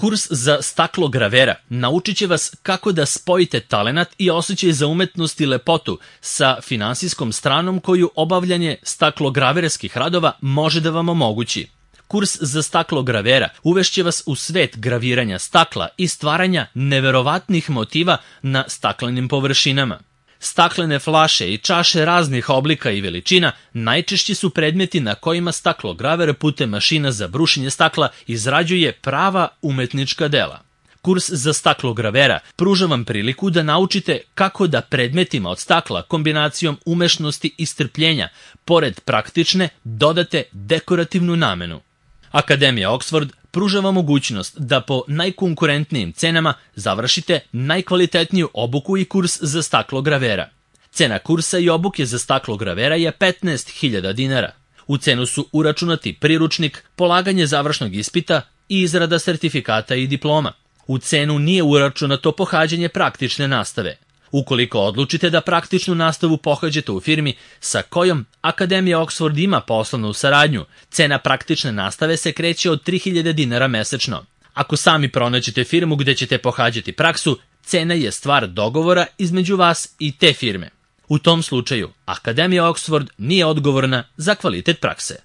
Kurs za staklogravera naučit će vas kako da spojite talenat i osjećaj za umetnost i lepotu sa finansijskom stranom koju obavljanje staklograverskih radova može da vam omogući. Kurs za staklogravera uvešće vas u svet graviranja stakla i stvaranja neverovatnih motiva na staklenim površinama. Staklene flaše i čaše raznih oblika i veličina najčešći su predmeti na kojima staklograver putem mašina za brušenje stakla izrađuje prava umetnička dela. Kurs za staklogravera pruža vam priliku da naučite kako da predmetima od stakla kombinacijom umešnosti i strpljenja, pored praktične, dodate dekorativnu namenu. Akademija Oxford pruža vam mogućnost da po najkonkurentnijim cenama završite najkvalitetniju obuku i kurs za staklogravera. Cena kursa i obuke za staklogravera je 15.000 dinara. U cenu su uračunati priručnik, polaganje završnog ispita i izrada sertifikata i diploma. U cenu nije uračunato pohađanje praktične nastave. Ukoliko odlučite da praktičnu nastavu pohađate u firmi sa kojom Akademija Oxford ima poslovnu saradnju, cena praktične nastave se kreće od 3.000 dinara mesečno. Ako sami pronađete firmu gde ćete pohađati praksu, cena je stvar dogovora između vas i te firme. U tom slučaju, Akademija Oxford nije odgovorna za kvalitet prakse.